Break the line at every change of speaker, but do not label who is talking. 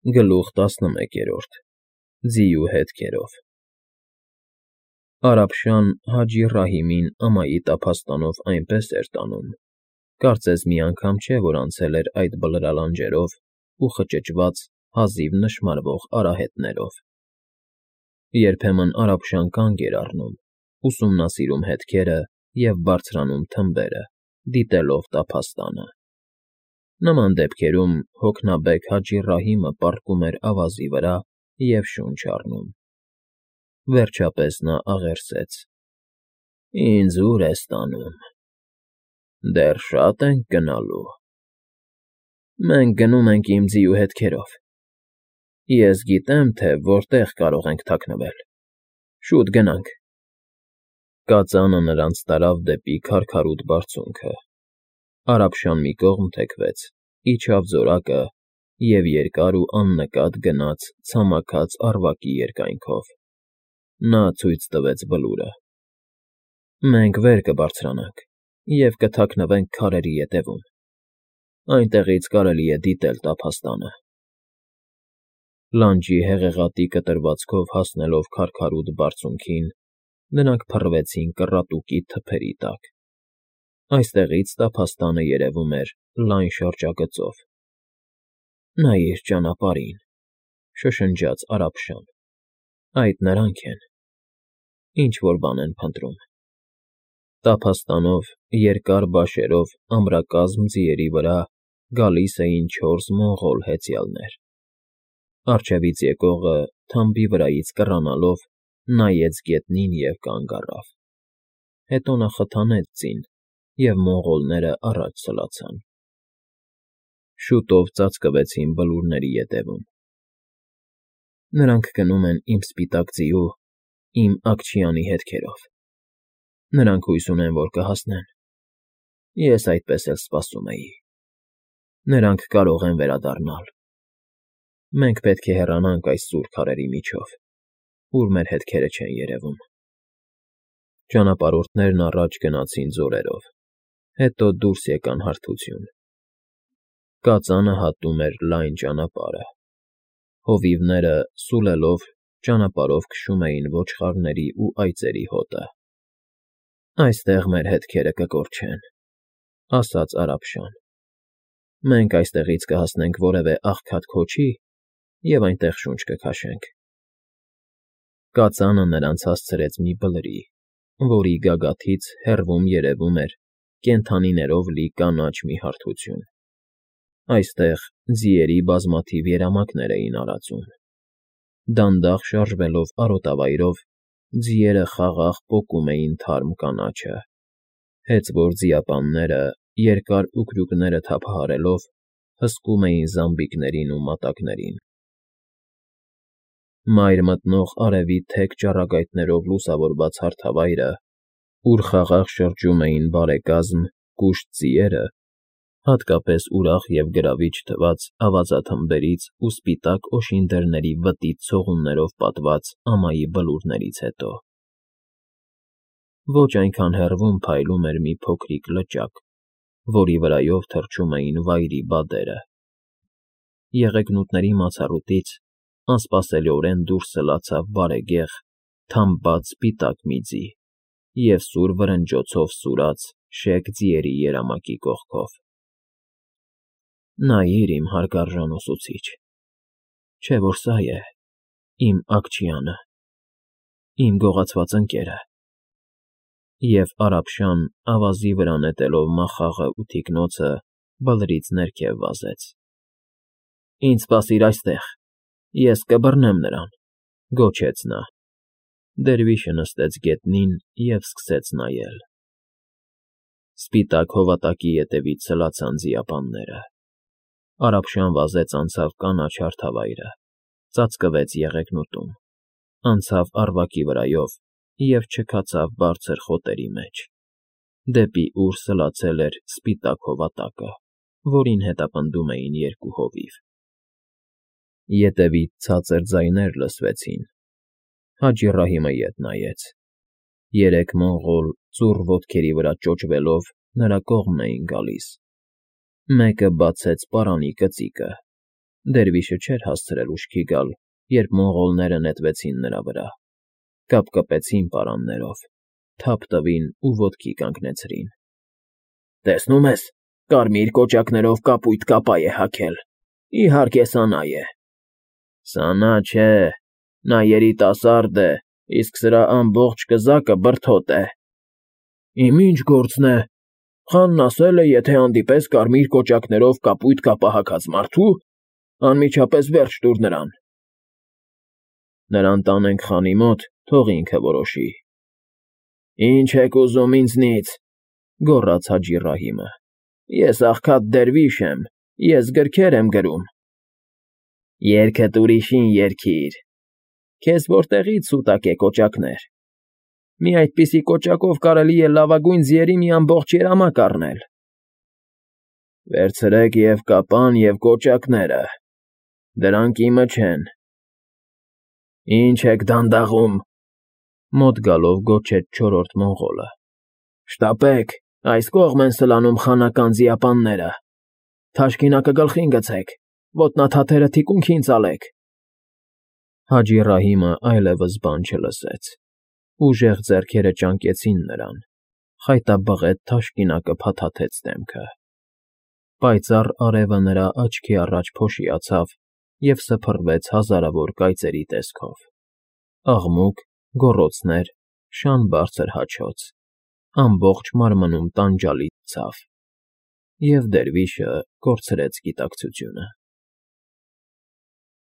Գլուխ 11 Ձիու հետքերով Արաբշան Հաջի Ռահիմին ամայի տափաստանով այնպես էր տանում, կարծես մի անգամ չէ, որ անցել էր այդ բլրալանջերով ու խճճված, հազիվ նշմարվող արահետներով։ Երբեմն Արաբշան կանգ էր առնում, ուսումնասիրում հետքերը և բարձրանում թմբերը, դիտելով տափաստանը։ Նման դեպքերում հոգնաբեկ Հաջի Ռահիմը պառկում էր ավազի վրա և շունչ առնում։ Վերջապես նա աղերսեց. «Ինձ ո՞ւր ես տանում։ Դեռ շա՞տ ենք գնալու»։ «Մենք գնում ենք իմ ձիու հետքերով։ Ես գիտեմ, թե որտեղ կարող ենք թաքնվել։ Շուտ գնանք»։ Կածանը նրանց տարավ դեպի քարքարոտ բարձունքը։ Արաբշան մի կողմ թեքվեց, իջավ զորակը և երկար ու աննկատ գնաց ցամաքած առվակի երկայնքով։ Նա ցույց տվեց Բլուրը. «Մենք վեր կբարձրանանք և կթաքնվենք քարերի ետևում։ Այնտեղից կարելի է դիտել տափաստանը»։ Լանջի հեղեղատի կտրվածքով հասնելով քարքարոտ բարձունքին, նրանք փռվեցին կռատուկի թփերի տակ։ Այստեղից տափաստանը երևում էր լայն շրջագծով։ «Նայիր ճանապարհին»,֊ շշնջաց Արաբշան։ «Այդ նրանք են։ Ինչ֊որ բան են փնտրում»։ Տափաստանով, երկար բաշերով ամրակազմ ձիերի վրա գալիս էին 4 մոնղոլ հեծյալներ։ Առջևից եկողը, թամբի վրայից կռանալով, նայեց գետնին և կանգ առավ։ Հետո նա խթանեց ձին, և մոնղոլները առաջ սլացան։ Շուտով ծածկվեցին բլուրների ետևում։ «Նրանք գնում են իմ սպիտակ ձիու, իմ Աքչյանի հետքերով։ Նրանք հույս ունեն, որ կհասնեն։ Ես այդպես էլ սպասում էի։ Նրանք կարող են վերադառնալ։ Մենք պետք է հեռանանք այս սուր քարերի միջով, ուր մեր հետքերը չեն երևում»։ Ճանապարհորդներն առաջ գնացին ձորերով, հետո դուրս եկան հարթություն։ Կածանը հատում էր լայն ճանապարհը։ Հովիվները, սուլելով, ճանապարհով քշում էին ոչխարների ու այծերի հոտը։ «Այստեղ մեր հետքերը կկորչեն», ֊ ասաց Արաբշան։ «Մենք այստեղից կհասնենք որևէ աղքատ քոչի և այնտեղ շունչ կքաշենք»։ Կածանը նրանց հասցրեց մի բլրի, որի գագաթից հեռվում երևում էր կենդանիներով լի կանաչ մի հարթություն։ Այստեղ ձիերի բազմաթիվ երամակներ էին արածում։ Դանդաղ շարժվելով արոտավայրով, ձիերը խաղաղ պոկում էին թարմ կանաչը, հեծվոր ձիապանները, երկար ուկրուկները թափահարելով, հսկում էին զամբիկներին ու մատակներին։ Մայր մտնող արևի թեք ճառագայթներով լուսավորված հարթավայրը, ուր խաղաղ շրջում էին բարեկազմ, կուշտ ձիերը, հատկապես ուրախ և գրավիչ թվաց ավազաթմբերից ու սպիտակ օշինդերների վտիտ ցողուններով պատված ամայի բլուրներից հետո։ Ոչ այնքան հեռվում փայլում էր մի փոքրիկ լճակ, որի վրայով թռչում էին վայրի բադերը։ Եղեգնուտների մացառուտից անսպասելիորեն դուրս սլացավ բարեգեղ, թամբած սպիտակ մի ձի և սուր վրնջոցով սուրաց շեք ձիերի երամակի կողքով։ «Նայիր, իմ հարգարժան ուսուցիչ, չէ՞ որ սա է իմ Աքչյանը, իմ գողացված ընկերը»։ Եվ Արաբշան, ավազի վրա նետելով մախաղը ու թիկնոցը, բլրից ներքև վազեց։ «Ինձ սպասիր այստեղ, ես կբռնեմ նրան», ֊ գոչեց նա։ Դերվիշը նստեց գետնին և սկսեց նայել։ Սպիտակ հովատակի ետևից սլացան ձիապանները։ Արաբշան վազեց անցավ կանաչ հարթավայրը, ծածկվեց եղեգնուտում, անցավ առվակի վրայով և չքացավ բարձր խոտերի մեջ, դեպի ուր սլացել էր սպիտակ հովատակը, որին հետապնդում էին երկու հովիվ։ Ետևից ցածր ձայներ լսվեցին։ Հաջի Ռահիմը ետ նայեց։ 3 մոնղոլ ծուռ ոտքերի վրա ճոճվելով նրա կողմն էին գալիս։ Մեկը բացեց պարանի կծիկը, Դերվիշը չէր հասցրել ուշքի գալ, երբ մոնղոլները նետվեցին նրա վրա, կապկպեցին պարաններով, թափ տվին ու ոտքի կանգնեցրին։ Տեսնում ես, կարմիր կոճակներով կապույտ կապա է հագել, իհարկե սա նա է։ Սա նա չէ, նա երիտասարդ է, իսկ սրա ամբողջ կզակը բրդոտ է։ Իմ ինչ գործն է, խանն ասել է, եթե հանդիպես կարմիր կոճակներով կապույտ կապա հագած մարդու, անմիջապես վերջ տուր նրան։ Նրան տանենք խանի մոտ, թող ինքը որոշի։ Ինչ եք ուզում ինձնից, գոռաց Հաջի Ռահիմը։ Ես աղքատ դերվիշ եմ, ես գրքեր եմ գրում։ Երգդ ուրիշին երգիր։ Քեզ որտեղից սուտակ է կոճակներ։ Մի այդպիսի կոճակով կարելի է լավագույն ձիերի մի ամբողջ երամակ առնել։ Վերցրեք և կապան, և կոճակները, դրանք իմը չեն։ Ինչ եք դանդաղում, մոտ գալով գոչեց չորրորդ մոնղոլը։ Շտապեք, այս կողմ են սլանում խանական ձիապանները։ Թաշկինակը գլխին գցեք, ոտնաթաթերը թիկունքին ծալեք։ Հաջի Ռահիմը այլևս բան չլսեց։ Ուժեղ ձեռքերը ճանկեցին նրան, խայտաբղետ թաշկինակը փաթաթեց դեմքը։ Պայծառ արևը նրա աչքի առաջ փոշիացավ և սփռվեց հազարավոր կայծերի տեսքով։ Աղմուկ, գոռոցներ, շան բարձր հաչոց, ամբողջ մարմնում տանջալից ցավ։ Եվ դերվիշը կորցրեց գիտակցությունը։